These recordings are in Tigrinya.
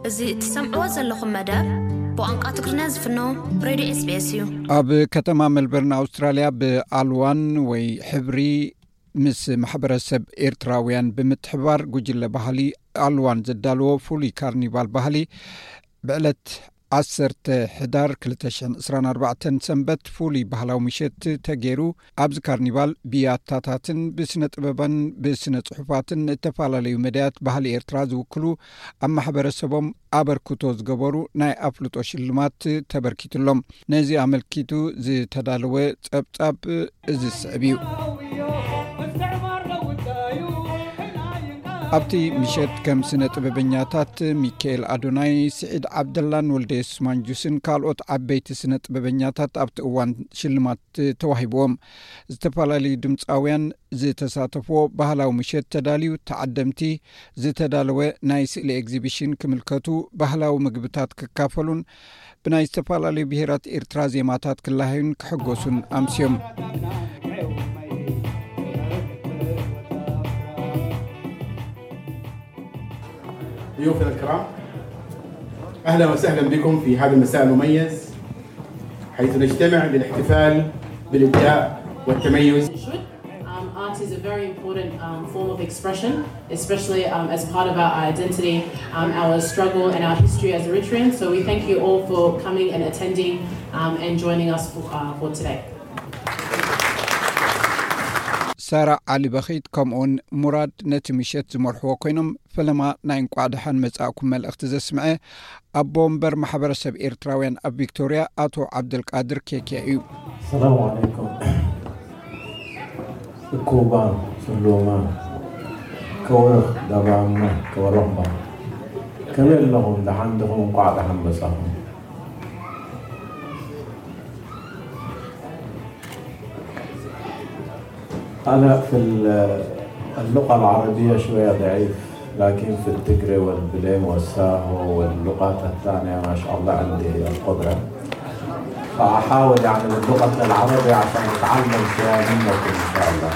እዚ እትሰምዕዎ ዘለኹም መደብ ብቋንቋ ትግርኛ ዝፍኖ ሬድዮ ኤስቢኤስ እዩ። ኣብ ከተማ ሜልበርን ኣውስትራልያ ብኣልዋን ወይ ሕብሪ ምስ ማሕበረሰብ ኤርትራውያን ብምትሕባር ጉጅለ ባህሊ ኣልዋን ዘዳለዎ ፍሉይ ካርኒቫል ባህሊ ብዕለት ዓሰርተ ሕዳር ክልተ ሽሕን ዕስራን ኣርባዕተን ሰንበት ፍሉይ ባህላዊ ምሸት ተገይሩ። ኣብዚ ካርኒቫል ብያታታትን ብስነ ጥበባን ብስነ ጽሑፋትን እተፈላለዩ መዳያት ባህሊ ኤርትራ ዝውክሉ ኣብ ማሕበረሰቦም ኣበርክቶ ዝገበሩ ናይ ኣፍልጦ ሽልማት ተበርኪትሎም። ነዚ ኣመልኪቱ ዝተዳለወ ጸብጻብ እዚ ዝስዕብ እዩ። ኣብቲ ምሸት ከም ስነ ጥበበኛታት ሚካኤል ኣዶናይ፣ ስዒድ ዓብደላን ወልደየሱስ ማንጁስን ካልኦት ዓበይቲ ስነ ጥበበኛታት ኣብቲ እዋን ሽልማት ተዋሂብዎም። ዝተፈላለዩ ድምፃውያን ዝተሳተፍዎ ባህላዊ ምሸት ተዳልዩ፣ ተዓደምቲ ዝተዳለወ ናይ ስእሊ ኤግዚቢሽን ክምልከቱ፣ ባህላዊ ምግብታት ክካፈሉን ብናይ ዝተፈላለዩ ብሄራት ኤርትራ ዜማታት ክለሃዩን ክሕጎሱን ኣምስዮም። ضيوفنا الكرام، أهلا وسهلا بكم في هذا المساء المميز، حيث نجتمع للاحتفال بالإبداع والتميز. Um, art is a very important um, form of expression, especially um, as part of our identity, um, our struggle, and our history as Eritreans. So we thank you all for coming and attending um, and joining us for, uh, for today. ሳራ ዓሊ በኺት ከምኡውን ሙራድ ነቲ ምሸት ዝመርሕዎ ኮይኖም፣ ፈለማ ናይ እንቋዕ ደሓን መጻእኩም መልእኽቲ ዘስምዐ ኣቦ ወንበር ማሕበረሰብ ኤርትራውያን ኣብ ቪክቶርያ ኣቶ ዓብደልቃድር ኬኪያ እዩ። ሰላም ዓለይኩም። እኩባን ስሉማን ከወርኽ ዳባማ ከወረኽባ፣ ከመይ ኣለኹም? ደሓን ዲኹም? እንቋዕ ደሓን መጻኹም። أنا في اللغة العربية شوية ضعيف، لكن في التجري والبليم والساهو واللغات الثانية ما شاء الله عندي القدرة. فأحاول يعني باللغة العربية عشان أتعلم شوية منكم إن شاء الله.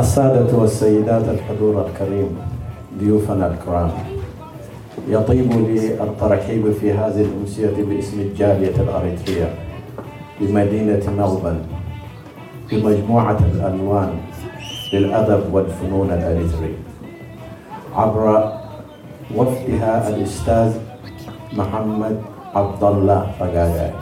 السادة والسيدات الحضور الكريم، ضيوفنا الكرام، يطيب لي الترحيب في هذه الأمسية باسم الجالية الأريترية بمدينة ملبورن بمجموعة الألوان للأدب والفنون الأريتري عبر وفدها الأستاذ محمد عبد الله فقاقاي.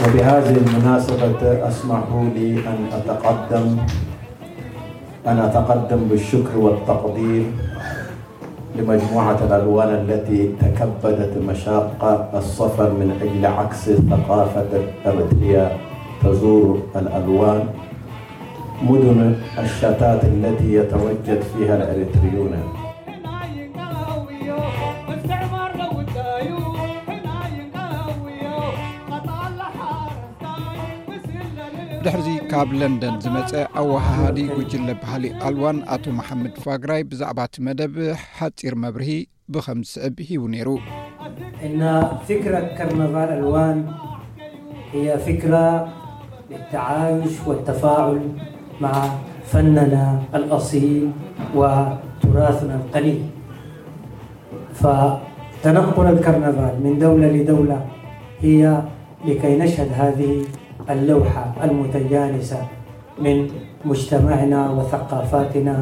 وبهذه المناسبة اسمحوا لي أن أتقدم أن أتقدم بالشكر والتقدير لمجموعة الألوان التي تكبدت مشاق السفر من أجل عكس ثقافة أريتريا تزور الألوان مدن الشتات التي يتوجد فيها الأريتريون. ድሕርዚ ካብ ለንደን ዝመጸ ኣወሃሃዲ ጉጅለ ባህሊ ኣልዋን ኣቶ መሓመድ ፋግራይ ብዛዕባ እቲ መደብ ሓጺር መብርሂ ብኸም ዝስዕብ ሂቡ ነይሩ። إن فكرة كرنفال ألوان هي فكرة للتعايش والتفاعل مع فننا الأصيل وتراثنا القليل. فتنقل الكرنفال من دولة لدولة هي لكي نشهد هذه اللوحة المتجانسة من مجتمعنا وثقافاتنا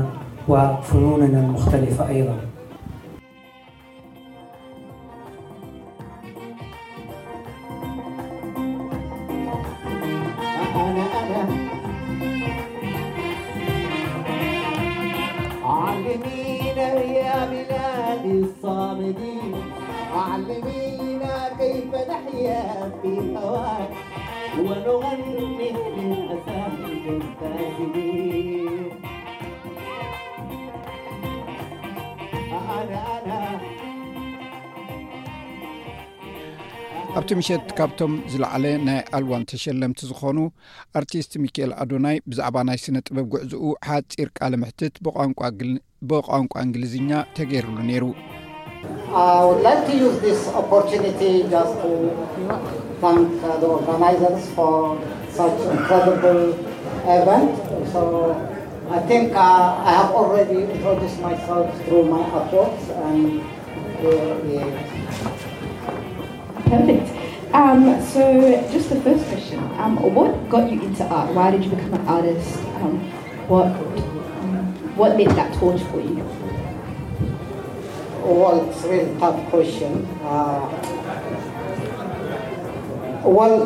وفنوننا المختلفة أيضا. علمينا يا بلادي الصامدين، علمينا كيف نحيا في هواك ونغني للأسى الكاسدين. أنا أنا ኣብቲ ምሸት ካብቶም ዝለዓለ ናይ ኣልዋን ተሸለምቲ ዝኾኑ ኣርቲስት ሚካኤል ኣዶናይ ብዛዕባ ናይ ስነ ጥበብ ጉዕዝኡ ሓጺር ቃለ ምሕትት ብቋንቋ እንግሊዝኛ ተገይሩሉ ነይሩ። I would like to use this opportunity just to thank uh, the organizers for such incredible event. So I think uh, I have already introduced myself through my artworks and uh, yeah. Perfect. Um, so, just the first question. Um, what got you into art? Why did you become an artist? Um, what um, what made that torch for you? Well, it's a really tough question. Uh, well,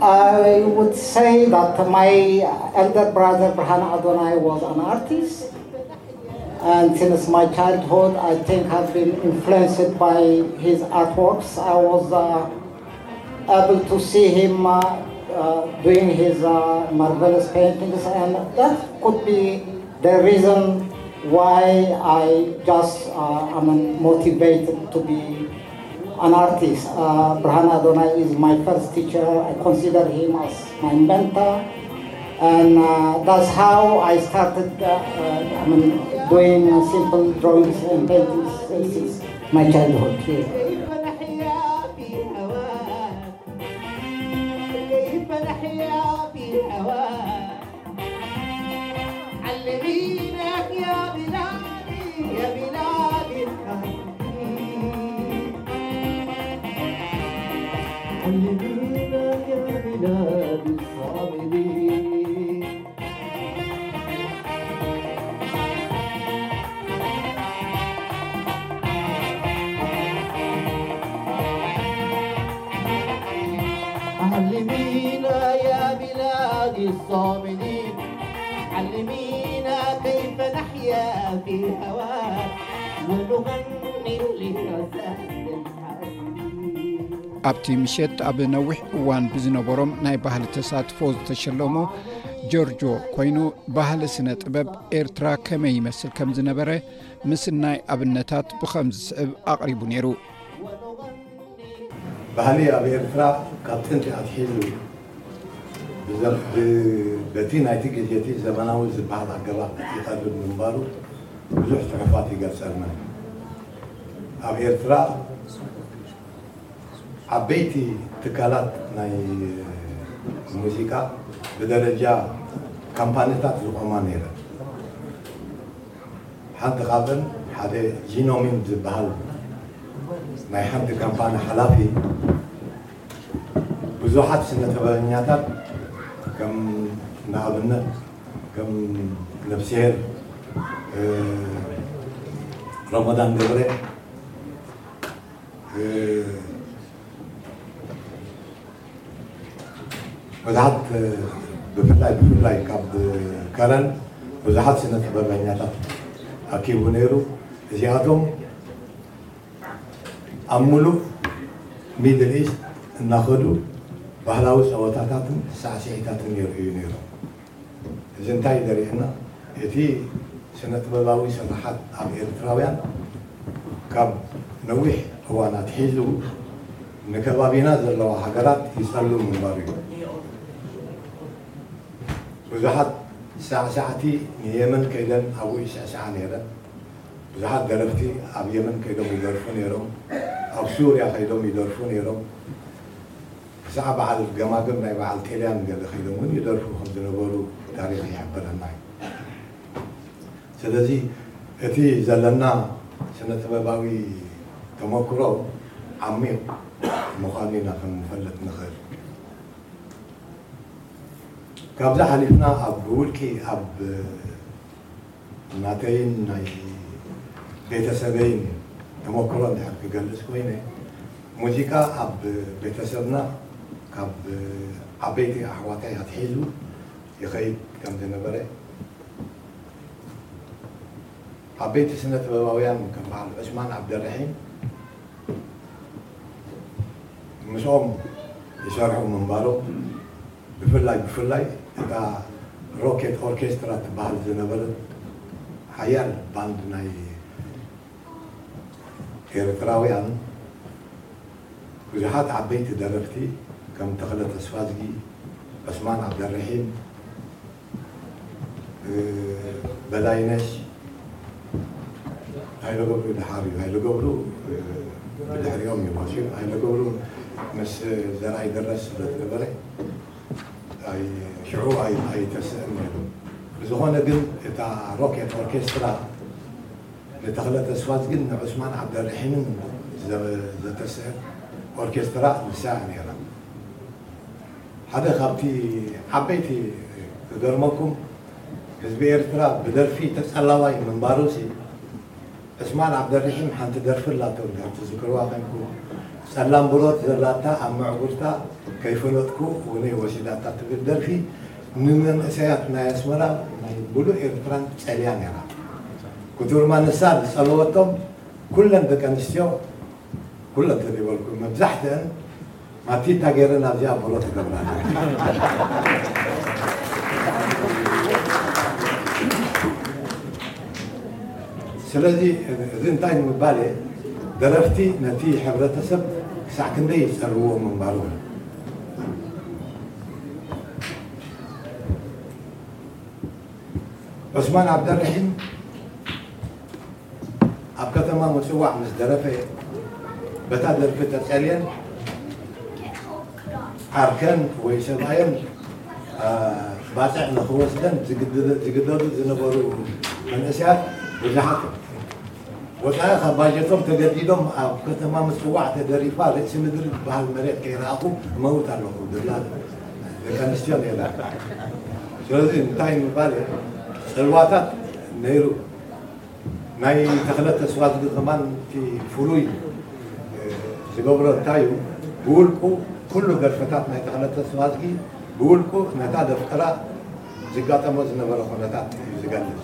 I would say that my elder brother Brahana Adonai was an artist, and since my childhood, I think I've been influenced by his artworks. I was uh, able to see him uh, uh, doing his uh, marvelous paintings, and that could be the reason why I just uh, am motivated to be an artist. Uh, Brahana Adonai is my first teacher. I consider him as my mentor. And uh, that's how I started uh, uh, I mean, doing simple drawings and paintings since my childhood. Yeah. علمينا يا بلادي الصامدين، علمينا كيف نحيا في هواك ونغني لرزاق الحاسدين. ኣብቲ ምሸት ኣብ ነዊሕ እዋን ብዝነበሮም ናይ ባህሊ ተሳትፎ ዝተሸለሙ ጆርጆ ኮይኑ፣ ባህሊ ስነ ጥበብ ኤርትራ ከመይ ይመስል ከም ዝነበረ ምስናይ ኣብነታት ብኸም ዝስዕብ ኣቕሪቡ ነይሩ። ባህሊ ኣብ ኤርትራ ካብ ጥንቲ ኣትሒዙ ብዘ- ብ- በቲ ናይቲ ግዜ እቲ ዘመናዊ ዝበሃል ኣገባብ ይቐርብ ምንባሩ ብዙሕ ጽሑፋት ይገልጸልና። ኣብ ኤርትራ ዓበይቲ ትካላት ናይ ሙዚቃ ብደረጃ ካምፓኒታት ዝቖማ ነይረን። ሓንቲ ካብን ሓደ ጂኖሚን ዝበሃል ናይ ሓንቲ ካምፓኒ ሓላፊ ብዙሓት ስነ ጥበበኛታት ከም ንኣብነት ከም ነብስሄር ረመዳን ገብረ ብዙሓት ብፍላይ ብፍላይ ካብ ከረን ብዙሓት ስነ ጥበበኛታት ኣኪቡ ነይሩ። እዚኣቶም ኣብ ሙሉእ ሚድል ኢስት እናኸዱ ባህላዊ ፀወታታትን ሳዕስዒታትን የርእዩ ነይሮም። እዚ እንታይ ዘርእየና? እቲ ስነ ጥበባዊ ስርሓት ኣብ ኤርትራውያን ካብ ነዊሕ እዋን ኣትሒዙ ንከባቢና ዘለዋ ሃገራት ይጸሉ ምንባሩ እዩ። ብዙሓት ሳዕሳዕቲ ንየመን ከይደን ኣብኡ ይስዕስዓ ነይረን። ብዙሓት ደረፍቲ ኣብ የመን ከይዶም ይደርፉ ነይሮም። ኣብ ሱርያ ከይዶም ይደርፉ ነይሮም። ክሳዕ በዓል ገማግም ናይ በዓል ቴልያን ገለ ከይዶም እውን ይደርፉ ከም ዝነበሩ ታሪኽ ይሕብረና እዩ። ስለዚ እቲ ዘለና ስነ ጥበባዊ ተመክሮ ዓሚቕ ምዃኑ ኢና ክንፈልጥ ንኽእል። ካብዚ ሓሊፍና ኣብ ብውልቂ ኣብ ናተይን ናይ ቤተሰበይን ተመክሮ እንድሕር ክገልጽ ኮይነ፣ ሙዚቃ ኣብ ቤተሰብና ካብ ዓበይቲ ኣሕዋተይ ኣትሒዙ ይኸይድ ከም ዝነበረ፣ ዓበይቲ ስነ ጥበባውያን ከም በዓል ዑስማን ዓብደልርሒም ምስኦም ይሰርሑ ምንባሮም፣ ብፍላይ ብፍላይ እታ ሮኬት ኦርኬስትራ ትበሃል ዝነበረት ሓያል ባንድ ናይ ኤርትራውያን ብዙሓት ዓበይቲ ደረፍቲ ከም ተኽለ ተስፋዝጊ፣ ዑስማን ዓብደርሒም፣ በላይነሽ፣ ሃይለ ገብሩ ደሓር እዩ። ሃይለ ገብሩ ብድሕሪኦም እዩ ወፂኡ። ሃይለ ገብሩ ምስ ዘርኣይ ደረስ ስለ ዝነበረ ኣይ- ሽዑ ኣይ- ኣይተስእን ነይሩ። ብዝኾነ ግን እታ ሮኬት ኦርኬስትራ ንተኽለ ተስፋዝግን ንዑስማን ዓብደርሒምን ዘ- ዘተስእ ኦርኬስትራ ንሳ እያ ነይራ። ሓደ ካብቲ ዓበይቲ ክገርመኩም፣ ህዝቢ ኤርትራ ብደርፊ ተጸላዋይ ምንባሩሲ፣ ዕስማን ዓብደርሒም ሓንቲ ደርፊ ኣላቶ፣ እንድሕር ትዝክርዋ ኮይንኩም፣ ጸላም ብሮት ዘላታ ኣብ መዕጉርታ ከይፈለጥኩ እውነይ ወሲዳታ ትብል ደርፊ ንመንእሰያት ናይ ኣስመራ ናይ ምሉእ ኤርትራን ጸልያ ነይራ። ክቱርማ ንሳ ዝጸለወቶም ኩለን ደቂ ኣንስትዮ፣ ኩለን ተደይበልኩ መብዛሕትአን ማቲታ ገይረን ኣብዚኣ ብሮት ይገብራ። ስለዚ እዚ እንታይ ንምባል እየ፣ ደረፍቲ ነቲ ሕብረተሰብ ክሳዕ ክንደይ ይጸርዎ ምንባሩ። ዑስማን ዓብደርሒም ኣብ ከተማ ምጽዋዕ ምስ ደረፈ፣ በታ ደርፊ ተጸልየን ዓርከን ወይ ሰብኣየን፣ አ፣ ባጽዕ ንኽወስደን ዝግድደ- ዝግደዱ ዝነበሩ መንእሰያት ብዙሓት እዮም። ወጻኢ ካብ ባጀቶም ተገዲዶም ኣብ ከተማ ምጽዋዕ ተደሪፋ ርእሲ ምድሪ ዝበሃል መሬት ከይረኣኹ እመውት ኣለኹ ዝብላ ደቂ ኣንስትዮ ነይራ። ስለዚ እንታይ ምባል እየ፣ ጽልዋታት ነይሩ። ናይ ተኽለ ተስፋዝጊ ከማን እቲ ፍሉይ ዝገብሮ እንታይ እዩ? ብውልቁ ኩሉ ደርፍታት ናይ ተኽለ ተስፋዝጊ ብውልቁ ነታ ደፍቀራ ዝጋጠሞ ዝነበረ ኩነታት እዩ ዝገልጽ።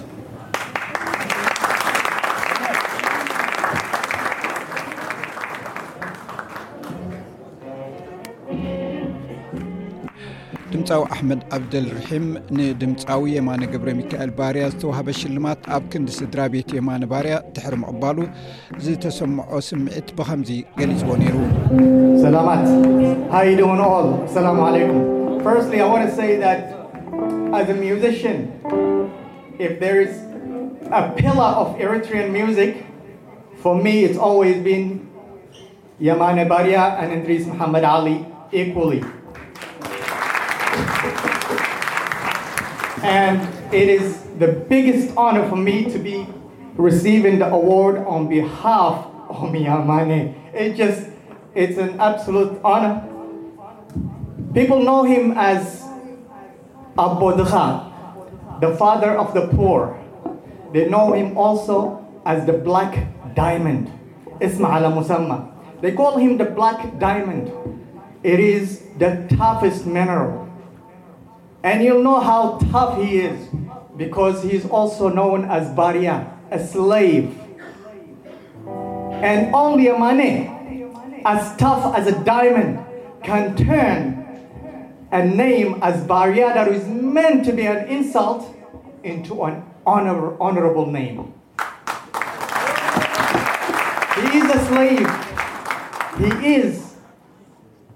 ድምፃዊ ኣሕመድ ዓብደልርሒም ንድምፃዊ የማነ ገብረ ሚካኤል ባርያ ዝተዋህበ ሽልማት ኣብ ክንዲ ስድራ ቤት የማነ ባርያ ድሕሪ ምቕባሉ ዝተሰምዖ ስምዒት ብኸምዚ ገሊፅዎ ነይሩ። ሰላማት. How you doing all? Assalamu alaikum. Firstly, I want to say that as a musician, if there is a pillar of Eritrean music, for me it's always been Yamane Baria and Idris Muhammad Ali equally. And it is the biggest honor for me to be receiving the award on behalf of Yamane. It just, it's an absolute honor. People know him as Abu Dukha, the father of the poor. They know him also as the black diamond. Isma ala musamma. They call him the black diamond. It is the toughest mineral. And you'll know how tough he is because he is also known as Baria, a slave. And only a Mane, as tough as a diamond, can turn a name as Baria that is meant to be an insult into an honor, honorable name. He is a slave. He is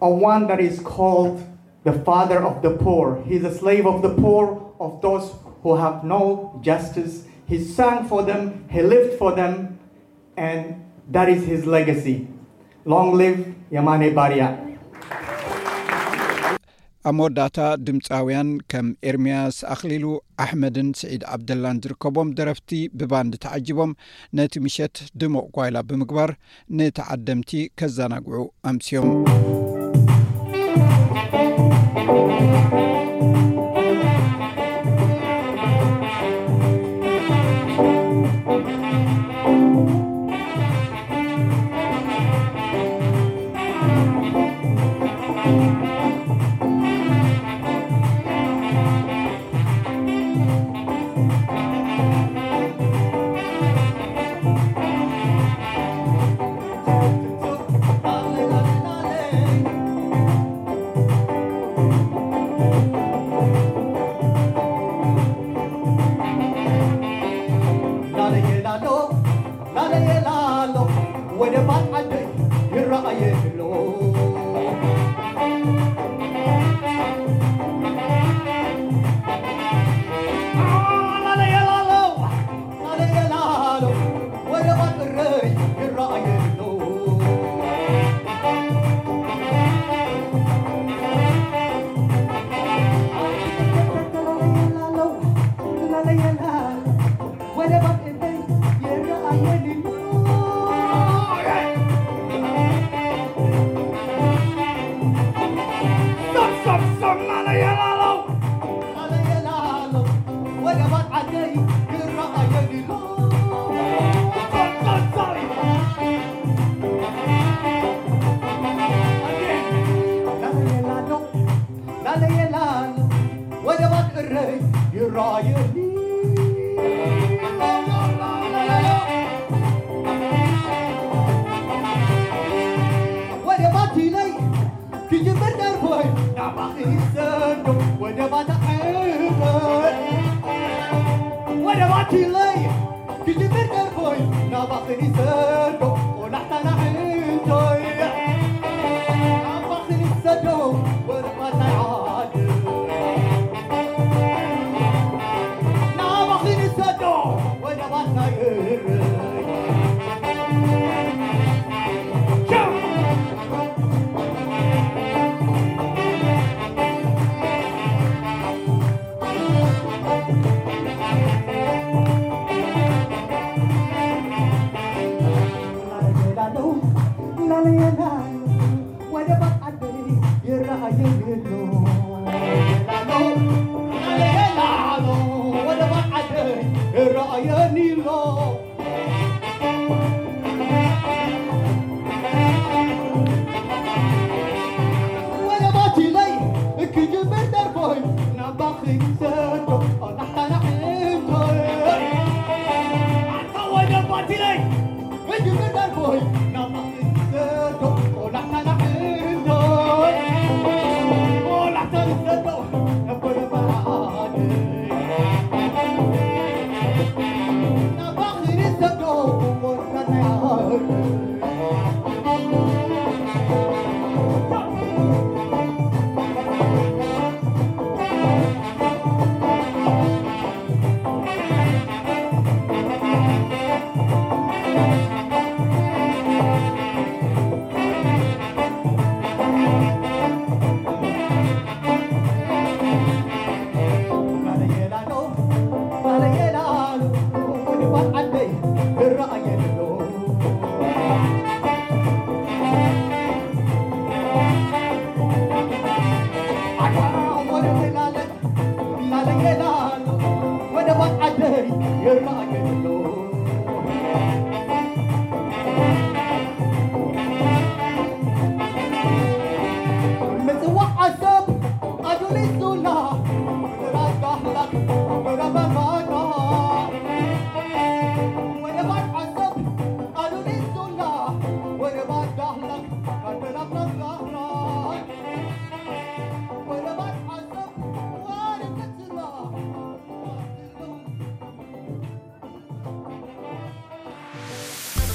a one that is called the father of the poor. He's a slave of the poor, of those who have no justice. He sang for them, he lived for them, and that is his legacy. Long live Yamane Baria. ኣብ መወዳእታ ድምፃውያን ከም ኤርምያስ ኣኽሊሉ፣ ኣሕመድን ስዒድ ዓብደላን ዝርከቦም ደረፍቲ ብባንድ ተዓጂቦም ነቲ ምሸት ድሙቕ ጓይላ ብምግባር ንተዓደምቲ ከዘናግዑ ኣምስዮም። Stop, stop, stop, ላለ የላሎ። ላለ የላሎ። ወደ ባድ ዓደይ ይረኣየኒ ኣሎ። ጸል፣ ጸል፣ ጸል። ላለ የላሎ። ላለ የላሎ። ወደ ባድ እረይ ይረኣየኒ። ወደ ባድ ኢለይ ክጅምር ደርፎይ ናባኺ ይሰዶ ወደ ባታ ዕንቶይ። ወደ ባታ ኢለይ ክጅምር ደርፎይ ናባኺ ይሰዶ ቆላሕታ ናዕንቶይ። ናባኺ ይሰዶ ወደ ባታ ዓድ። ናባኺ ይሰዶ ወደ ባታ ይርይ።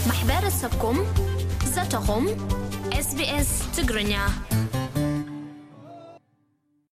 ማሕበረሰብኩም፣ ዘተኹም። SBS ትግርኛ።